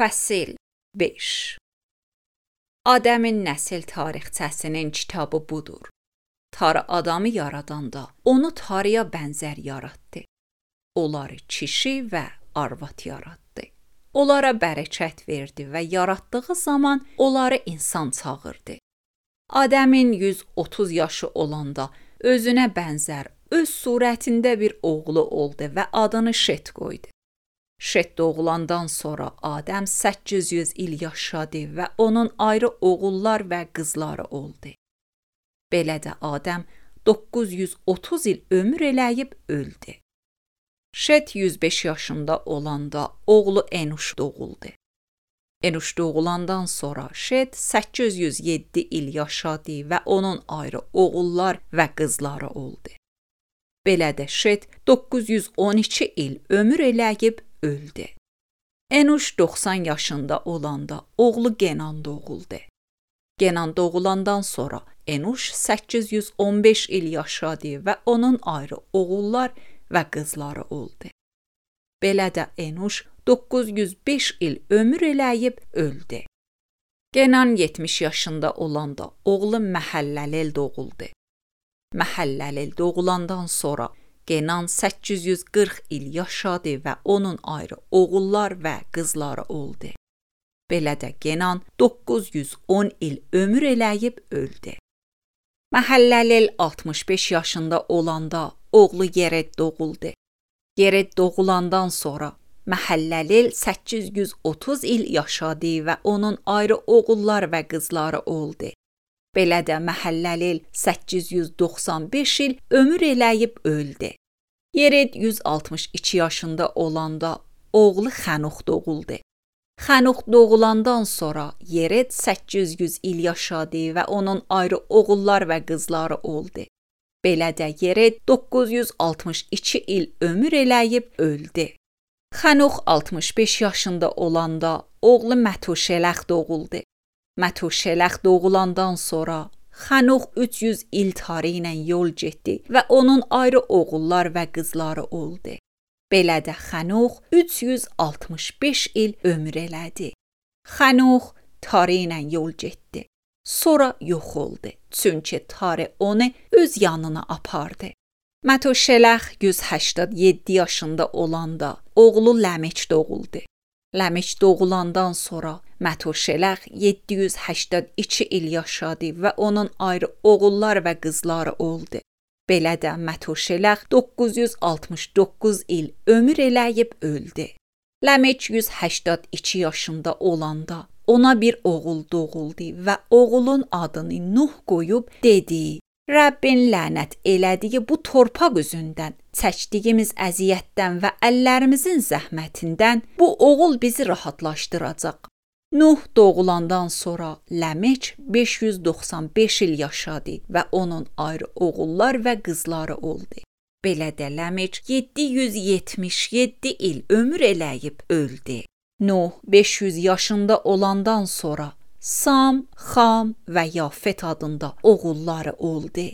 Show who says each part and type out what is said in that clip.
Speaker 1: Fəsil 5. Adəmin nəsil tarixçəsinin kitabı budur. Tanrı adamı yaradanda onu Tanrıya bənzər yaratdı. Onları kişi və arvad yaratdı. Onlara bərəkət verdi və yaratdığı zaman onları insan çağırdı. Adəmin 130 yaşı olanda özünə bənzər, öz surətində bir oğlu oldu və adını Şet qoydu. Şet doğulandan sonra Adəm 800 il yaşadı və onun ayrı oğullar və qızları oldu. Belə də Adəm 930 il ömür eləyib öldü. Şet 105 yaşında olanda oğlu Enuş doğuldu. Enuş doğulandan sonra Şet 807 il yaşadı və onun ayrı oğullar və qızları oldu. Belə də Şet 912 il ömür eləyib öldü. Enuş 90 yaşında olanda oğlu Kenan doğuldu. Kenan doğulandan sonra Enuş 815 il yaşadı və onun ayrı oğullar və qızları oldu. Belə də Enuş 905 il ömür eləyib öldü. Kenan 70 yaşında olanda oğlu Məhəlləlel doğuldu. Məhəlləlel doğulandan sonra Kenan 840 il yaşadı və onun ayrı oğullar və qızları oldu. Belə də Kenan 910 il ömür eləyib öldü. Məhəlləlel 65 yaşında olanda oğlu Yered doğuldu. Yered doğulandan sonra Məhəlləlel 830 il yaşadı və onun ayrı oğullar və qızları oldu. Belə də Məhəlləlel 895 il ömür eləyib öldü. Yered 162 yaşında olanda oğlu Xanux doğuldu. Xanux doğulandan sonra Yered 800 il yaşadı və onun ayrı oğullar və qızları oldu. Belə də Yered 962 il ömür eləyib öldü. Xanux 65 yaşında olanda oğlu Mətuşələx doğuldu. Mətuşələx doğulandan sonra Xanux 300 il tarı ilə yol getdi və onun ayrı oğullar və qızları oldu. Belə də Xanux 365 il ömür elədi. Xanux tarı ilə yol getdi. Sonra yox oldu, çünki tarı onu öz yanına apardı. Mətuşələx 187 yaşında olanda oğlu Ləmeç doğuldu. Ləmeç doğulandan sonra Mətuşələx 782 il yaşadı və onun ayrı oğullar və qızları oldu. Belə də Mətuşələx 969 il ömür eləyib öldü. Ləmeç 182 yaşında olanda ona bir oğul doğuldu və oğulun adını Nuh qoyub dedi: Rəbbin lənət elədiyi bu torpaq üzündən, çəkdiyimiz əziyyətdən və əllərimizin zəhmətindən bu oğul bizi rahatlaşdıracaq. Nuh doğulandan sonra Ləmeç 595 il yaşadı və onun ayrı oğullar və qızları oldu. Belə də Ləmeç 777 il ömür eləyib öldü. Nuh 500 yaşında olandan sonra Sam, Xam və Yafet adında oğulları oldu.